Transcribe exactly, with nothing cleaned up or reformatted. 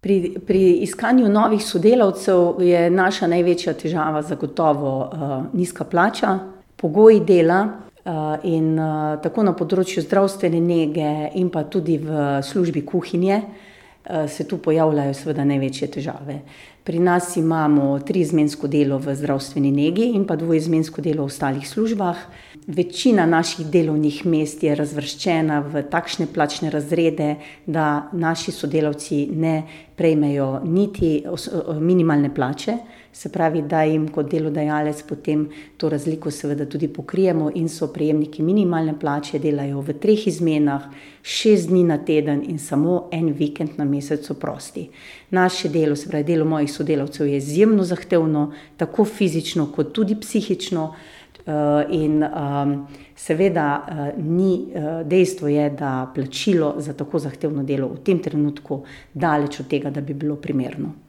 Pri, pri iskanju novih sodelavcev je naša največja težava zagotovo uh, nizka plača, pogoji dela uh, in uh, tako na področju zdravstvene nege in pa tudi v službi kuhinje uh, se tu pojavljajo seveda največje težave. Pri nas imamo triizmensko delo v zdravstveni negi in pa dvoizmensko delo v ostalih službah. Večina naših delovnih mest je razvrščena v takšne plačne razrede, da naši sodelavci ne prejmejo niti minimalne plače, se pravi, da jim kot delodajalec potem to razliko seveda tudi pokrijemo in so prejemniki minimalne plače, delajo v treh izmenah, šest dni na teden in samo en vikend na mesec so prosti. Naše delo, se pravi, delo mojih sodelavcev je izjemno zahtevno, tako fizično kot tudi psihično. In um, seveda uh, ni, uh, dejstvo je, da plačilo za tako zahtevno delo v tem trenutku daleč od tega, da bi bilo primerno.